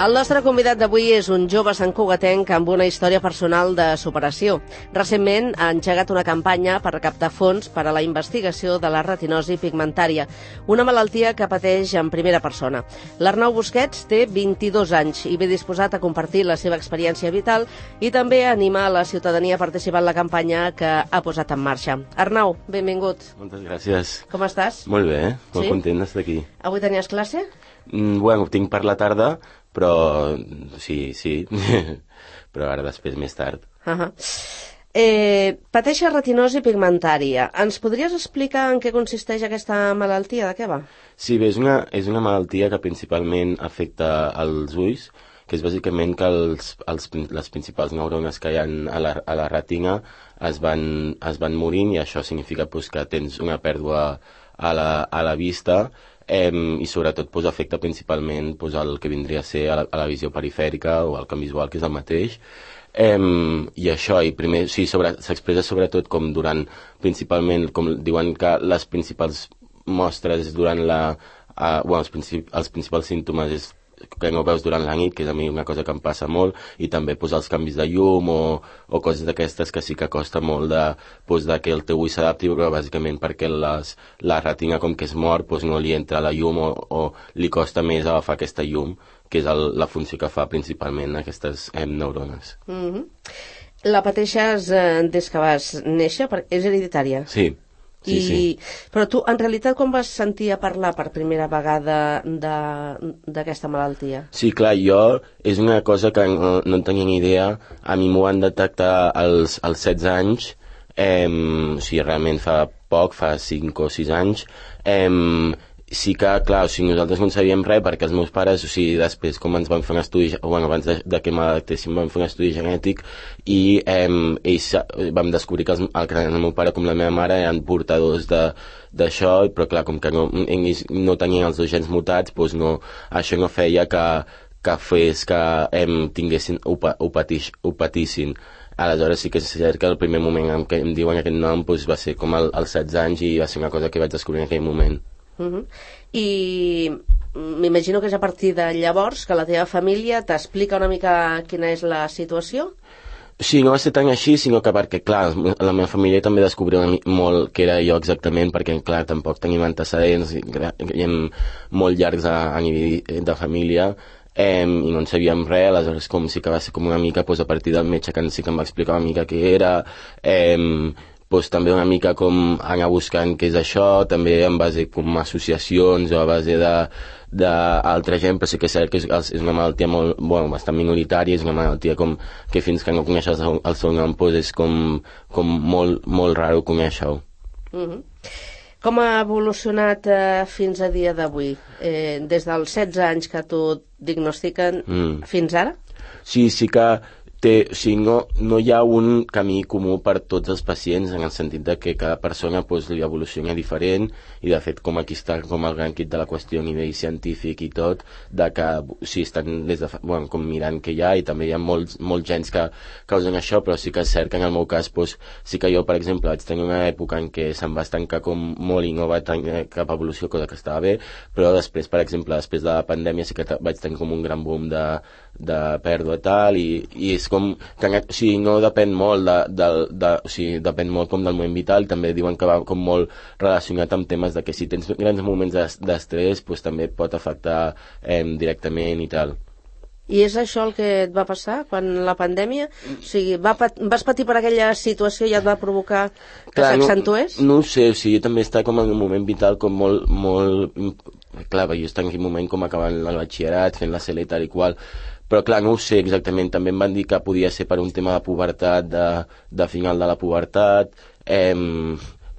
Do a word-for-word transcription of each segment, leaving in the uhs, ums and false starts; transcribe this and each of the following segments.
El nostre convidat d'avui és un jove santcugatenc amb una història personal de superació. Recentment ha engegat una campanya per recaptar fons per a la investigació de la retinosi pigmentària, una malaltia que pateix en primera persona. L'Arnau Busquets té vint-i-dos anys i ve disposat a compartir la seva experiència vital i també a animar la ciutadania a participar en la campanya que ha posat en marxa. Arnau, benvingut. Moltes gràcies. Com estàs? Molt bé, eh? Molt Sí? content d'estar aquí. Avui tenies classe? Mm, bueno, tinc per la tarda, però sí, sí, però ara després més tard. Uh-huh. Eh, pateixes retinosi pigmentària. Ens podries explicar en què consisteix aquesta malaltia? De què va? Sí, bé, és una, és una malaltia que principalment afecta els ulls, que és bàsicament que els, els, les principals neurones que hi ha a la, a la retina es van, es van morint, i això significa pues, que tens una pèrdua a la, a la vista, eh, i sobretot pues, afecta principalment pues, el que vindria a ser a la, a la visió perifèrica o al camp visual, que és el mateix. Eh, I això, i primer, sí, sobre, s'expressa sobretot com durant, principalment, com diuen que les principals mostres durant la... Uh, bueno, els, princip els principals símptomes és que no veus durant la nit, que és a mi una cosa que em passa molt, i també pues, els canvis de llum o, o coses d'aquestes que sí que costa molt de, pues, de que el teu ull s'adapti, però bàsicament perquè les, la retina, com que és mort, pues, no li entra la llum o, o li costa més agafar aquesta llum, que és el, la funció que fa principalment aquestes eh, neurones. Mm-hmm. La pateixes eh, des que vas néixer? Perquè és hereditària? Sí. Sí, I... sí. Però tu, en realitat, com vas sentir a parlar per primera vegada d'aquesta malaltia? Sí, clar, jo és una cosa que no, no en tenia ni idea. A mi m'ho van detectar als, als setze anys, eh, o sigui, realment fa poc, fa cinc o sis anys. Eh, sí que, clar, o sigui, nosaltres no en sabíem res perquè els meus pares, o sigui, després com ens van fer un estudi, bueno, abans de, de que m'adaptéssim van fer un estudi genètic i eh, ells vam descobrir que els, el, el meu pare com la meva mare eren portadors d'això, però clar, com que no, ells no tenien els dos gens mutats, doncs no, això no feia que, que fes que eh, tinguessin, ho, ho, patix, ho patissin. Aleshores sí que és cert que el primer moment en què em diuen aquest nom doncs, va ser com als setze anys i va ser una cosa que vaig descobrir en aquell moment. Uh-huh. I m'imagino que és a partir de llavors que la teva família t'explica una mica quina és la situació? Sí, no va ser tan així, sinó que perquè, clar, la meva família també descobriu molt què era jo exactament, perquè, clar, tampoc tenim antecedents i, i molt llargs a, a nivell de família, eh, i no en sabíem res. Aleshores com sí que va ser com una mica pues, a partir del metge que sí que em va explicar una mica què era, eh, pues, també una mica com anar buscant què és això, també en base com associacions o a base de d'altra gent, però sí que és cert que és, és una malaltia molt, bueno, bastant minoritària, és una malaltia com que fins que no coneixes el, el seu nom pues, és com, com molt, molt raro conèixer-ho. Uh-huh. Com ha evolucionat eh, fins a dia d'avui? Eh, des dels setze anys que t'ho diagnostiquen mm. fins ara? Sí, sí que té, o sigui, no, no hi ha un camí comú per tots els pacients, en el sentit de que cada persona pues, li evoluciona diferent, i de fet com aquí està com el gran kit de la qüestió a nivell científic i tot, de que o sigui, estan des de, bueno, com mirant què hi ha, i també hi ha molts, molts gens que causen això, però sí que és cert que en el meu cas pues, sí que jo, per exemple, vaig tenir una època en què se'm va estancar com molt i no va tenir cap evolució, cosa que estava bé, però després, per exemple, després de la pandèmia sí que vaig tenir com un gran boom de, de pèrdua tal, i, i és com que o sigui, no depèn molt de, de, de, o sigui, depèn molt com del moment vital. També diuen que va com molt relacionat amb temes de que si tens grans moments d'estrès pues, també et pot afectar eh, directament i tal. I és això el que et va passar quan la pandèmia? O sigui, va pat vas patir per aquella situació i et va provocar que s'accentués? No, no ho sé, o sigui, jo també estava com en un moment vital com molt, molt... Clar, jo estava en aquell moment com acabant el batxillerat, fent la C L i tal i qual, però clar, no ho sé exactament. També em van dir que podia ser per un tema de pubertat, de, de final de la pubertat, eh,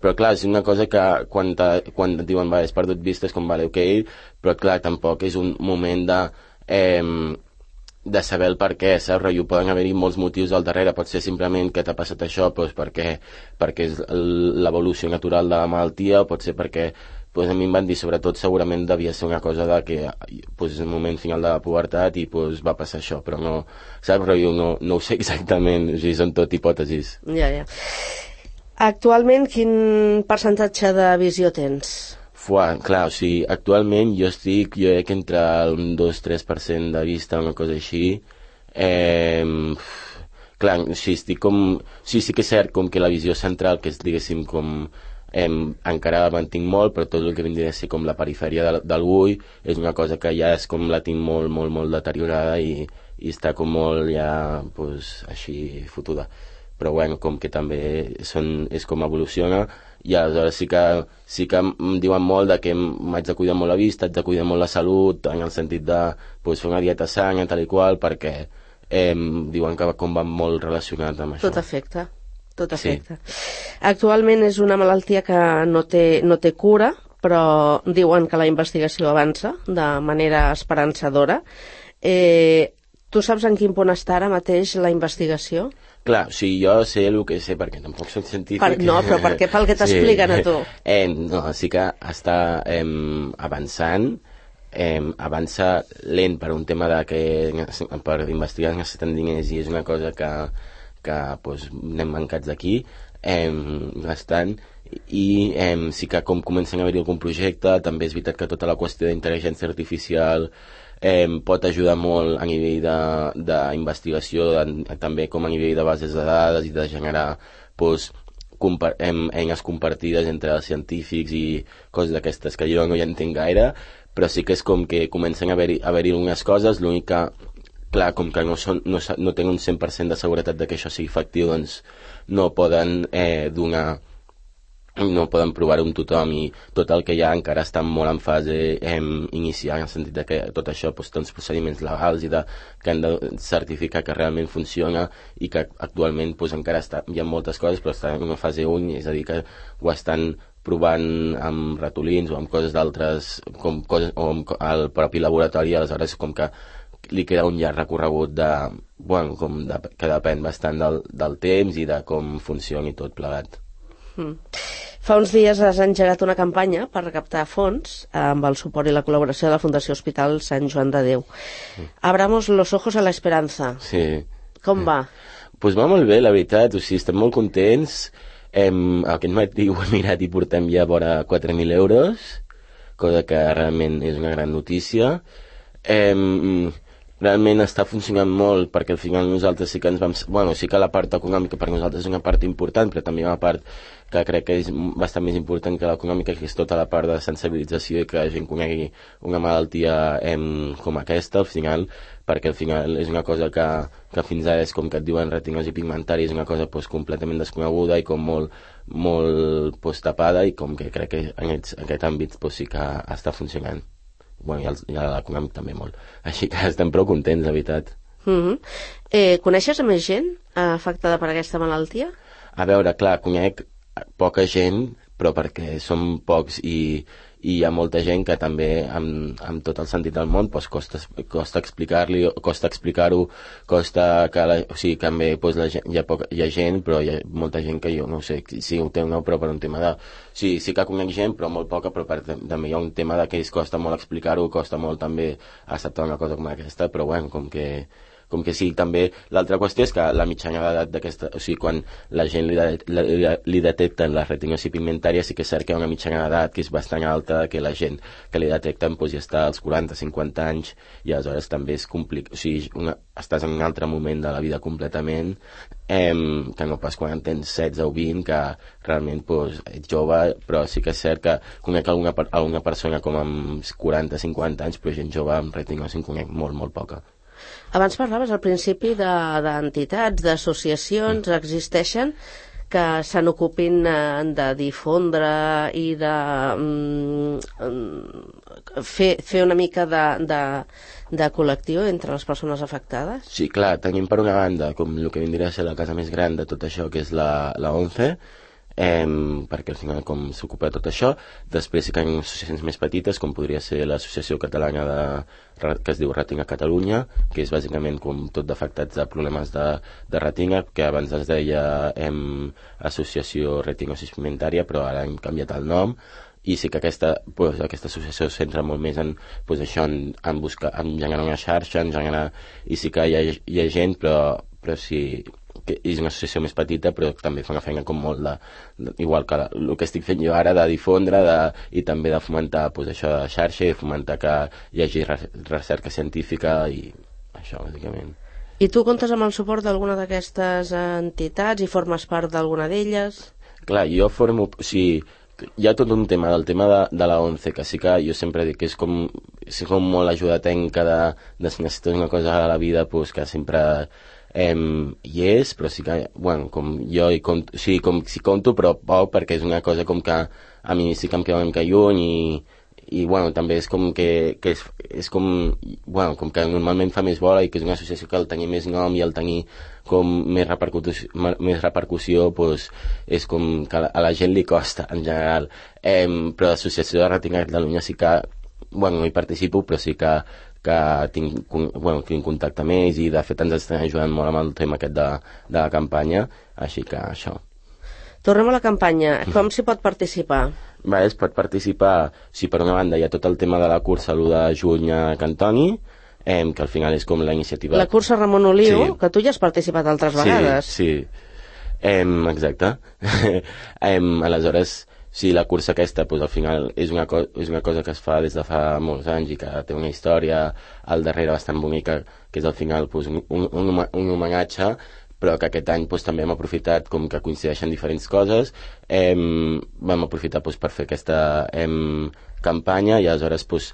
però clar, és una cosa que quan, te, quan et diuen, vale, has perdut vista, és com, vale, ok, però clar, tampoc és un moment de... Eh, de saber el per què, saps? I poden haver-hi molts motius al darrere, pot ser simplement que t'ha passat això doncs perquè, perquè és l'evolució natural de la malaltia, o pot ser perquè pues, a mi em van dir, sobretot, segurament devia ser una cosa de que pues, és un moment final de la pubertat i pues, va passar això, però no, saps? Però jo no, no ho sé exactament, o sigui, són tot hipòtesis. Ja, ja. Actualment, quin percentatge de visió tens? Fuà, clar, o sigui, actualment jo estic, jo crec que entre un dos tres per cent de vista, una cosa així. Eh, clar, o sigui, estic com... O sigui, sí que és cert com que la visió central, que és, diguéssim, com... Eh, encara la mantinc molt, però tot el que vindria a ser com la perifèria del, del bull és una cosa que ja és com la tinc molt, molt, molt deteriorada i, i està com molt ja, pues, així fotuda. Però bueno, com que també són, és com evoluciona, i aleshores sí que, sí que em diuen molt de que m'haig de cuidar molt la vista, haig de cuidar molt la salut, en el sentit de pues, fer una dieta sana, tal i qual, perquè eh, diuen que com va molt relacionat amb això. Tot afecta. Tot afecta. Sí. Actualment és una malaltia que no té, no té cura, però diuen que la investigació avança de manera esperançadora. Eh, tu saps en quin punt està ara mateix la investigació? Clar, o sigui, jo sé el que sé, perquè tampoc soc científic. Per, no, però per què? Pel que t'expliquen sí. a tu. Eh, no, sí que està eh, avançant, eh, avança lent per un tema de que per investigar necessiten diners i és una cosa que que pues, anem mancats d'aquí eh, bastant i eh, sí que com comencen a haver-hi algun projecte, també és veritat que tota la qüestió d'intel·ligència artificial eh, pot ajudar molt a nivell d'investigació, també com a nivell de bases de dades i de generar pues, compar em, eines compartides entre els científics i coses d'aquestes que jo no hi entenc gaire, però sí que és com que comencen a haver-hi haver-hi algunes coses, l'únic que clar, com que no, són, no, no tenen un cent per cent de seguretat de que això sigui efectiu, doncs no poden eh, donar, no poden provar-ho amb tothom i tot el que hi ha encara està molt en fase eh, inicial, en el sentit de que tot això doncs, té uns procediments legals i de, que han de certificar que realment funciona i que actualment doncs, encara està, hi ha moltes coses però està en una fase un, és a dir, que ho estan provant amb ratolins o amb coses d'altres, com coses, o amb el propi laboratori, aleshores com que li queda un llarg recorregut de, bueno, com de, que depèn bastant del, del temps i de com funcioni tot plegat. Mm. Fa uns dies has engegat una campanya per recaptar fons amb el suport i la col·laboració de la Fundació Hospital Sant Joan de Déu. Mm. Abramos los ojos a la esperanza. Sí. Com va? Pues va molt bé, la veritat, o sigui, estem molt contents. Hem, aquest matí ho he mirat i portem ja vora quatre mil euros, cosa que realment és una gran notícia. Hem, realment està funcionant molt perquè al final nosaltres sí que ens vam... Bueno, sí que la part econòmica per nosaltres és una part important, però també una part que crec que és bastant més important que l'econòmica, que és tota la part de sensibilització i que la gent conegui una malaltia em, com aquesta, al final, perquè al final és una cosa que, que fins ara és com que et diuen retinosi pigmentària, és una cosa pues, completament desconeguda i com molt, molt pues, tapada i com que crec que en aquest, en aquest àmbit pues, sí que està funcionant. Bueno, i, el, i l'econòmic també molt. Així que estem prou contents, la veritat. Mm-hmm. eh, coneixes a més gent afectada per aquesta malaltia? A veure, clar, conec poca gent, però perquè som pocs i, i hi ha molta gent que també, amb, amb tot el sentit del món, doncs costa, costa explicar-li, costa explicar-ho, costa que, la, o sigui, també doncs, la gent, hi, ha poca, hi ha gent, però hi ha molta gent que jo no sé si ho té o no, però per un tema de... Sí, sí que conec gent, però molt poca, però per, també hi ha un tema de que es costa molt explicar-ho, costa molt també acceptar una cosa com aquesta, però bueno, com que... com que sí, també l'altra qüestió és que la mitjana d'edat d'aquesta, o sigui, quan la gent li, de, li, li detecten la retinosi pigmentària, sí que és cert que hi ha una mitjana d'edat que és bastant alta, que la gent que li detecten doncs, ja està als quaranta cinquanta anys i aleshores també és complicat, o sigui, una, estàs en un altre moment de la vida completament, eh, que no pas quan tens setze o vint, que realment doncs, ets jove, però sí que és cert que conec alguna, alguna persona com amb quaranta cinquanta anys, però gent jove amb retinosi en conec molt, molt poca. Abans parlaves al principi d'entitats, de, d'associacions, mm. existeixen que se n'ocupin de difondre i de mm, fer, fer una mica de, de, de col·lectiu entre les persones afectades? Sí, clar, tenim per una banda com el que vindria a ser la casa més gran de tot això, que és la, la ONCE, Eh, perquè al final com s'ocupa de tot això. Després sí que hi ha associacions més petites com podria ser l'associació catalana de, que es diu Retina Catalunya, que és bàsicament com tot d'afectats de problemes de, de retina, que abans es deia eh, Associació Retinosi Pigmentària, però ara hem canviat el nom i sí que aquesta, pues, aquesta associació es centra molt més en, pues, això, en, en, buscar, en generar una xarxa, en generar, i sí que hi ha, hi ha gent, però, però sí que és una associació més petita, però també fa una feina com molt de, de igual que la, el que estic fent jo ara, de difondre de, i també de fomentar pues, això de xarxa i fomentar que hi hagi recerca científica i això, bàsicament. I tu comptes amb el suport d'alguna d'aquestes entitats i formes part d'alguna d'elles? Clar, jo formo... O sigui, hi ha tot un tema del tema de, de la ONCE, que sí que jo sempre dic que és com, és com molt ajuda tècnica de, de si necessites una cosa a la vida, pues, que sempre eh, hi és, però sí que, bueno, com jo hi compto, o sigui, com si compto, però poc, perquè és una cosa com que a mi sí que em queda una mica lluny i i bueno, també és com que, que és, és com, bueno, com que normalment fa més bola i que és una associació que al tenir més nom i al tenir com més repercussió, més repercussió pues, és com que a la gent li costa en general, eh, però l'associació de Retina de Catalunya sí que, bueno, no hi participo, però sí que que tinc, bueno, tinc contacte amb ells i de fet ens estan ajudant molt amb el tema aquest de, de la campanya, així que això. Tornem a la campanya. Com s'hi pot participar? Va, es pot participar, si per una banda hi ha tot el tema de la cursa l'u de juny a Cantoni, eh, que al final és com la iniciativa... La cursa Ramon Oliu, sí. Que tu ja has participat altres vegades. Sí, sí. Eh, exacte. eh, aleshores, sí, la cursa aquesta, pues, al final és una, co és una cosa que es fa des de fa molts anys i que té una història al darrere bastant bonica, que és al final pues, un, un, un, un homenatge, però que aquest any pues, també hem aprofitat com que coincideixen diferents coses, eh, vam aprofitar pues, per fer aquesta eh, campanya i aleshores pues,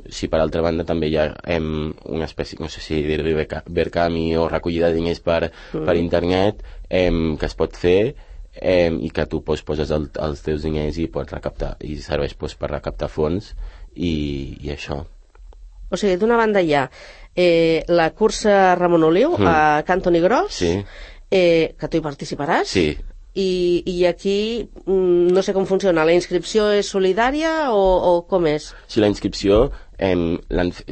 si per altra banda també hi ha eh, una espècie, no sé si dir-li Verkami o recollida de diners per, mm. per internet eh, que es pot fer eh, i que tu pues, poses el, els teus diners i pots recaptar i serveix pues, per recaptar fons i, i això. O sigui, d'una banda hi ha eh, la cursa Ramon Oliu mm. a Cantoni Gros, sí. eh, que tu hi participaràs. Sí. I, i aquí mm, no sé com funciona, la inscripció és solidària o, o com és? Sí, la inscripció eh,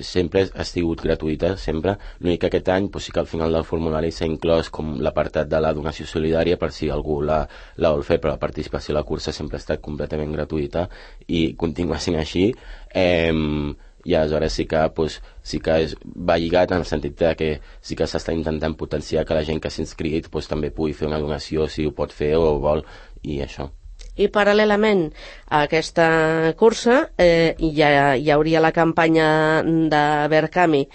sempre ha sigut gratuïta, sempre. L'únic que aquest any pues, sí que al final del formulari s'ha inclòs com l'apartat de la donació solidària per si algú la, la vol fer, però la participació a la cursa sempre ha estat completament gratuïta i continua sent així. Eh, i aleshores sí que, pues, sí que és, va lligat en el sentit de que sí que s'està intentant potenciar que la gent que s'ha inscrit pues, també pugui fer una donació si ho pot fer o vol, i això. I paral·lelament a aquesta cursa eh, ja hi hauria la campanya de Verkami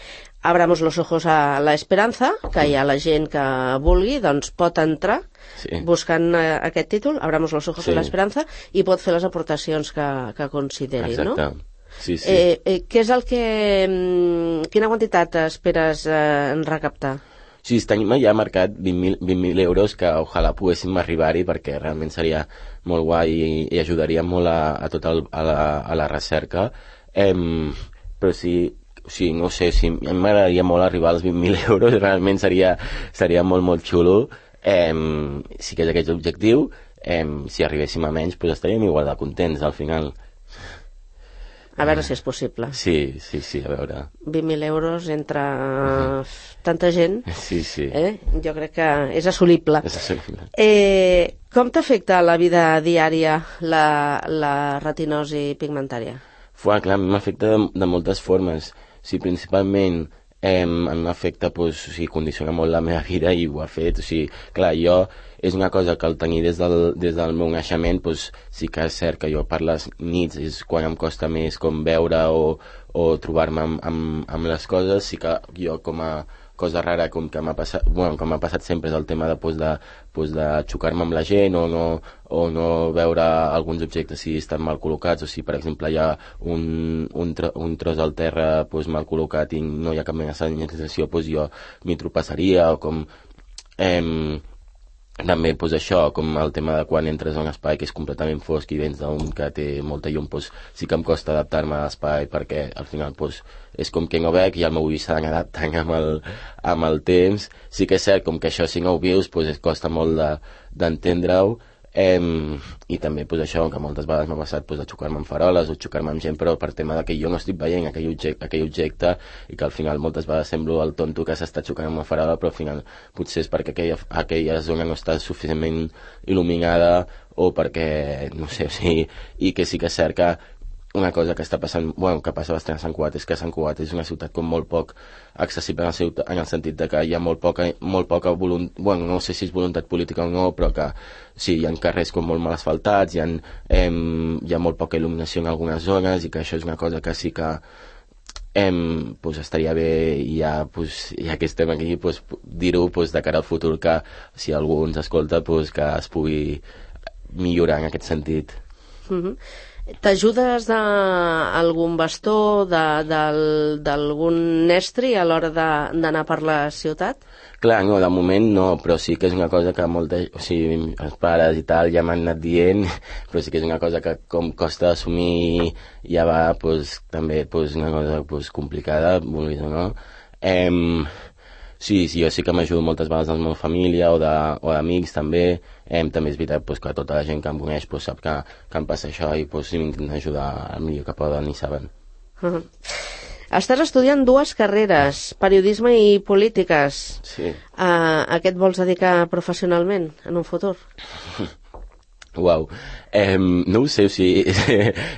Abramos los ojos a la esperança, que hi ha la gent que vulgui, doncs pot entrar sí. buscant eh, aquest títol, Abramos los ojos sí. a la esperança, i pot fer les aportacions que, que consideri, exacte. No? Sí, sí. Eh, eh, què és el que... Quina quantitat esperes eh, recaptar? Sí, este any ja ha marcat vint mil euros que ojalà poguéssim arribar-hi perquè realment seria molt guai i, i ajudaria molt a, a tot el, a, la, a la recerca. Eh, però sí, sí, no sé, si a mi m'agradaria molt arribar als vint mil euros, realment seria, seria molt, molt xulo. Eh, sí que és aquest objectiu. Eh, si arribéssim a menys, doncs estaríem igual de contents al final. A veure si és possible. Sí, sí, sí, a veure. vint mil euros entre uh, tanta gent, sí, sí. Eh? Jo crec que és assolible. És assolible. Eh, com t'afecta la vida diària la, la retinosi pigmentària? Fuà, clar, m'afecta de, de moltes formes. Sí, principalment eh, en efecte pues, o sigui, condiciona molt la meva vida i ho ha fet. O sigui, clar, jo és una cosa que al tenir des del, des del meu naixement pues, sí que és cert que jo per les nits és quan em costa més com veure o, o trobar-me amb, amb, amb les coses. Sí que jo com a cosa rara com que m'ha passat, bueno, com m'ha passat sempre és el tema de, pues, de, pues, de xocar-me amb la gent o no, o no veure alguns objectes si estan mal col·locats o si per exemple hi ha un, un, tro, un tros al terra pues, mal col·locat i no hi ha cap mena de senyalització, pues, jo m'hi tropassaria o com... Eh, també pues, això, com el tema de quan entres a un espai que és completament fosc i vens d'un que té molta llum, pues, sí que em costa adaptar-me a l'espai perquè al final pues, és com que no veig i el meu ull s'ha d'anar adaptant amb el, amb el temps. Sí que és cert, com que això si no ho vius pues, es costa molt d'entendre-ho. De, Eh, i també pues, això, que moltes vegades m'ha passat pues, de xocar-me amb faroles o xocar-me amb gent, però per tema de que jo no estic veient aquell objecte, aquell objecte i que al final moltes vegades semblo el tonto que s'està xocant amb una farola, però al final potser és perquè aquella, aquella zona no està suficientment il·luminada o perquè, no sé, o sigui, i que sí que és cert que una cosa que està passant, bueno, que passa bastant a Sant Cugat, és que Sant Cugat és una ciutat com molt poc accessible en el, ciutat, en el sentit de que hi ha molt poca, molt poca voluntat, bueno, no sé si és voluntat política o no, però que sí, hi ha carrers com molt mal asfaltats, hi ha, eh, hi ha molt poca il·luminació en algunes zones, i que això és una cosa que sí que eh, pues estaria bé, i ja, pues, ja que estem aquí, pues, dir-ho pues, de cara al futur, que si algú ens escolta, pues, que es pugui millorar en aquest sentit. Mm-hmm. T'ajudes d'algun bastó, d'algun estri a l'hora d'anar per la ciutat? Clar, no, de moment no, però sí que és una cosa que molta, o sigui, els pares i tal ja m'han anat dient, però sí que és una cosa que com costa assumir, ja va, pues, també pues, una cosa pues, complicada, vulguis o no. Eh, Sí, sí, jo sí que m'ajudo moltes vegades amb la meva família o d'amics també. Eh, també és veritat pues, que tota la gent que em coneix pues, sap que, que em passa això i pues, sí, m'intenten ajudar el millor que poden i saben. Uh-huh. Estàs estudiant dues carreres, periodisme i polítiques. Sí. Uh, a què et vols dedicar professionalment en un futur? Uau, eh, no ho sé, o sigui,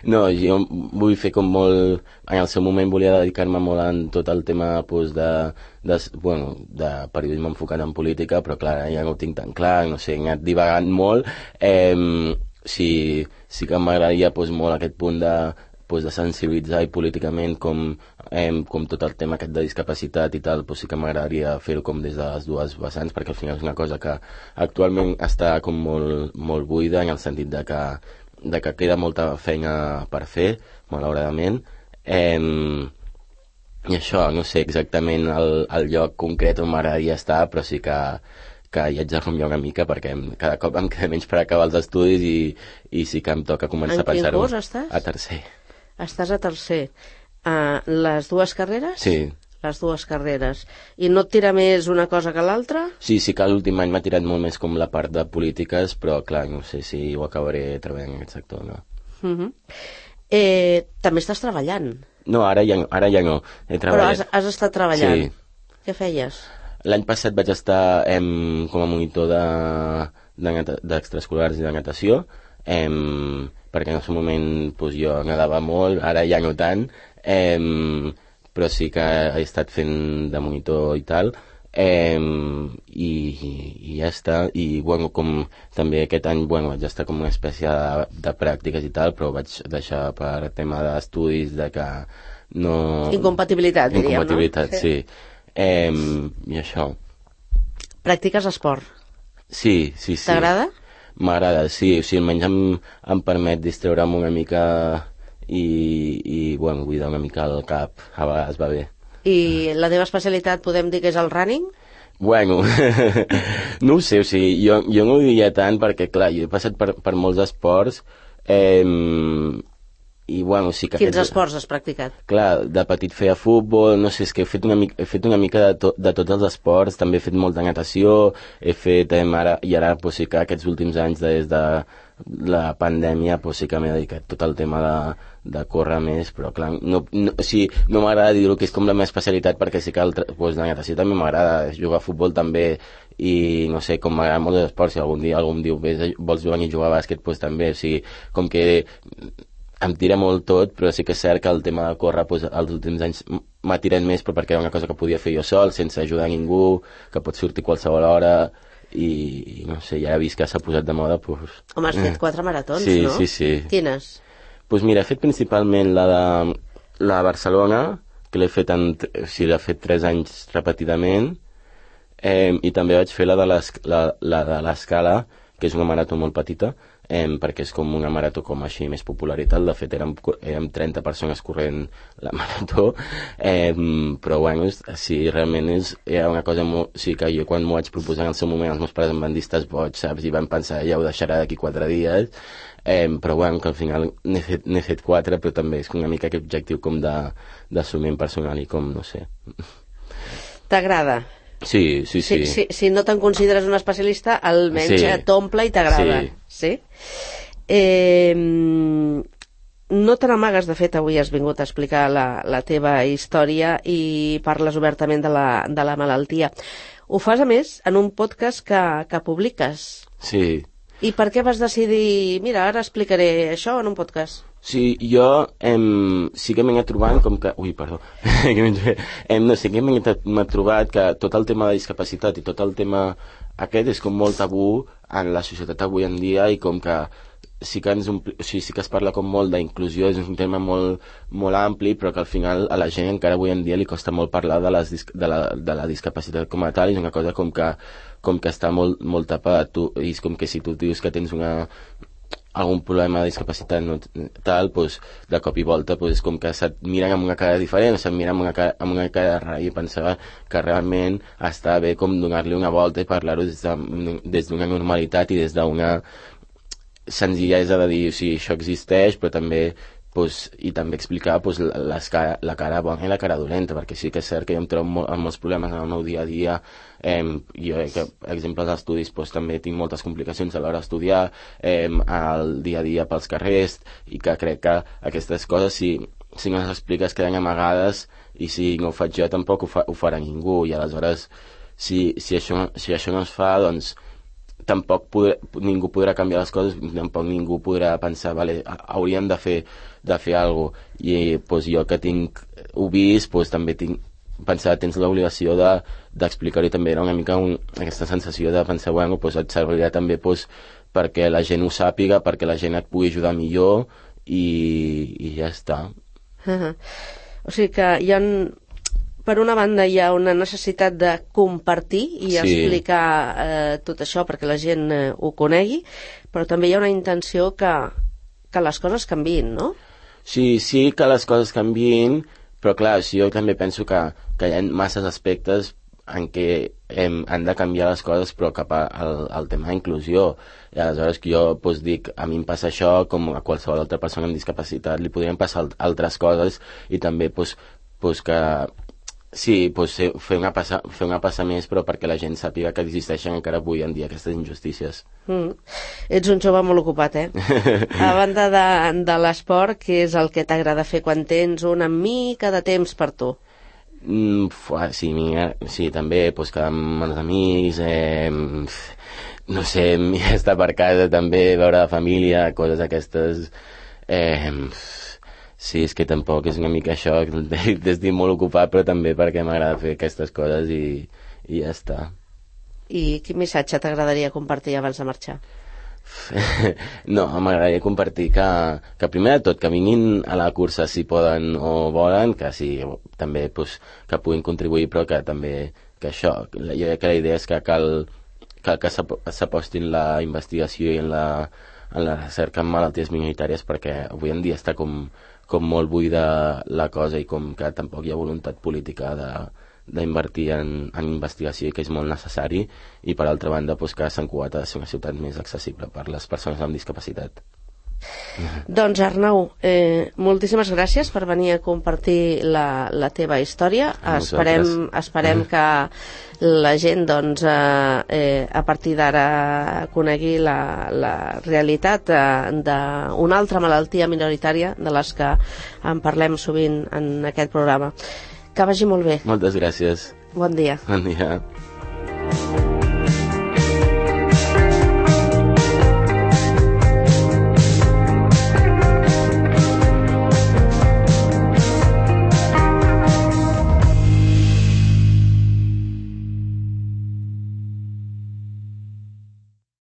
no, jo vull fer com molt, en el seu moment volia dedicar-me molt en tot el tema pues, de, de, bueno, de periodisme enfocat en política, però clar, ja no ho tinc tan clar, no sé, he anat divagant molt, eh, sí, sí que m'agradaria pues, molt aquest punt de, pues, de sensibilitzar i políticament com, eh, com tot el tema aquest de discapacitat i tal, pues, sí que m'agradaria fer-ho com des de les dues vessants, perquè al final és una cosa que actualment està com molt, molt buida en el sentit de que, de que queda molta feina per fer, malauradament. Eh, I això, no sé exactament el, el lloc concret on m'agradaria estar, però sí que que hi haig de rumiar una mica perquè cada cop em queda menys per acabar els estudis i, i sí que em toca començar a pensar-ho. En quin curs estàs? A tercer. Estàs a tercer. Uh, les dues carreres? Sí. Les dues carreres. I no et tira més una cosa que l'altra? Sí, sí que l'últim any m'ha tirat molt més com la part de polítiques, però clar, no sé si ho acabaré treballant en aquest sector, no. Uh-huh. eh, també estàs treballant? No, ara ja no. Ara ja no. He treballat. Però has, has estat treballant? Sí. Què feies? L'any passat vaig estar em, com a monitor d'extraescolars de, de, i de natació, em, perquè en el seu moment pues, jo nedava molt, ara ja no tant, em, però sí que he estat fent de monitor i tal, em, i, i ja està. I bueno, com també aquest any bueno, vaig estar com una espècie de, de pràctiques i tal, però vaig deixar per tema d'estudis de que no... Incompatibilitat, diríem, Incompatibilitat, no? sí. Eh, i això. Practiques esport? Sí, sí, sí. T'agrada? M'agrada, sí. O sigui, almenys em, em permet distreure'm una mica i, i bueno, buidar una mica el cap. A vegades va bé. I la teva especialitat podem dir que és el running? Bueno, no ho sé, o sigui, jo, jo no ho diria tant perquè, clar, jo he passat per, per molts esports eh, i bueno, sí que... Quins aquests, esports has practicat? Clar, de petit feia futbol, no sé, és que he fet una mica, he fet una mica de, to, de tots els esports, també he fet molta natació, he fet, eh, ara, i ara pues, sí que aquests últims anys des de la pandèmia pues, sí que m'he dedicat tot el tema de, de córrer més, però clar, no, no, o sigui, no m'agrada dir-ho que és com la meva especialitat perquè sí que el, pues, la natació també m'agrada, jugar a futbol també, i no sé, com m'agrada molt d'esports, si algun dia algú em diu, vols jugar i jugar a bàsquet, pues també, o sigui, com que em tira molt tot, però sí que és cert que el tema de córrer pues, els últims anys m'ha tirat més, però perquè era una cosa que podia fer jo sol, sense ajudar a ningú, que pot sortir qualsevol hora, i, i no sé, ja he vist que s'ha posat de moda, pues... Home, has fet quatre maratons, sí, no? Sí, sí, sí. Quines? Pues mira, he fet principalment la de, la de Barcelona, que l'he fet, en, o sigui, l'he fet tres anys repetidament, eh, i també vaig fer la de l'Escala, que és una marató molt petita, eh, perquè és com una marató com així més popular i tal. De fet érem, érem trenta persones corrent la marató, eh, però bueno, sí, realment és, era una cosa molt... Sí, que jo quan m'ho vaig proposar en el seu moment els meus pares em van dir estàs boig, saps? I van pensar ja ho deixarà d'aquí quatre dies, eh, però bueno, que al final n'he fet, n'he fet quatre, però també és una mica aquest objectiu com d'assumiment personal i com, no sé. T'agrada? Sí, sí, sí. Si, si, si no te'n consideres un especialista, almenys sí. T'omple i t'agrada. Sí. Sí? Eh, no te n'amagues, de fet, avui has vingut a explicar la, la teva història i parles obertament de la, de la malaltia. Ho fas, a més, en un podcast que, que publiques. Sí. I per què vas decidir, mira, ara explicaré això en un podcast? Sí, jo em, sí que m'he trobat com que... Ui, perdó. em, no, sí que m'he trobat que tot el tema de discapacitat i tot el tema aquest és com molt tabú en la societat avui en dia i com que sí que, ens ompli, o sigui, sí que es parla com molt d'inclusió, és un tema molt, molt ampli, però que al final a la gent encara avui en dia li costa molt parlar de, les, de, la, de la discapacitat com a tal, i és una cosa com que, com que està molt, molt tapada. Tu, i és com que si tu dius que tens una, algun problema de discapacitat no, tal, pues, de cop i volta pues, és com que se't miren amb una cara diferent, se't miren amb una cara, amb una cara de rai, i pensava que realment està bé com donar-li una volta i parlar-ho des d'una de, des normalitat i des d'una senzillesa de dir, o sigui, això existeix, però també, pues, i també explicar pues, les cara, la cara bona i la cara dolenta, perquè sí que és cert que jo em trobo molt, amb molts problemes en el meu dia a dia. Eh, jo, que, per exemple, als estudis pues, també tinc moltes complicacions a l'hora d'estudiar, eh, al dia a dia pels carrers, i que crec que aquestes coses, si, si no les expliques, queden amagades, i si no ho faig jo tampoc ho, fa, ho farà ningú, i aleshores, si, si, això, si això no es fa, doncs tampoc podrà, ningú podrà canviar les coses, tampoc ningú podrà pensar, vale, hauríem de fer, de fer alguna cosa. I pues, jo que tinc ho vist, pues, també tinc pensar, tens l'obligació d'explicar-ho, i també era una mica un, aquesta sensació de pensar, bueno, pues, et servirà també pues, perquè la gent ho sàpiga, perquè la gent et pugui ajudar millor, i, i ja està. Uh-huh. O sigui que hi ha... Per una banda hi ha una necessitat de compartir i sí. explicar eh, tot això perquè la gent eh, ho conegui, però també hi ha una intenció que, que les coses canviïn, no? Sí, sí que les coses canviïn, però clar, sí, jo també penso que, que hi ha masses aspectes en què hem, han de canviar les coses, però cap al, al tema d'inclusió. I aleshores que jo pues, dic, a mi em passa això, com a qualsevol altra persona amb discapacitat li podrien passar altres coses, i també pues, pues que sí, pues, fer, una passa, fer una passa més, però perquè la gent sàpiga que existeixen encara avui en dia aquestes injustícies. Mm. Ets un jove molt ocupat, eh? A banda de, de l'esport, què és el que t'agrada fer quan tens una mica de temps per tu? Mm, fuà, sí, mira, sí, també pues, quedar amb els amics, eh, no sé, estar per casa també, veure la família, coses aquestes... Eh, Sí, és que tampoc és una mica això, estic molt ocupat, però també perquè m'agrada fer aquestes coses i, i ja està. I quin missatge t'agradaria compartir abans de marxar? No, m'agradaria compartir que, que primer de tot que vinguin a la cursa si poden o volen, que sí, també pues, que puguin contribuir, però que també que això, jo crec que la idea és que cal que, que s'apostin la investigació i en la, en la recerca en malalties minoritàries, perquè avui en dia està com com molt buida la cosa i com que tampoc hi ha voluntat política d'invertir en, en investigació, que és molt necessari, i per altra banda pues, que Sant Cugat ha de ser una ciutat més accessible per les persones amb discapacitat. Doncs Arnau, eh, moltíssimes gràcies per venir a compartir la, la teva història. Esperem, esperem que la gent doncs, eh, eh, a partir d'ara conegui la, la realitat eh, d'una altra malaltia minoritària de les que en parlem sovint en aquest programa. Que vagi molt bé. Moltes gràcies. Bon dia. Bon dia.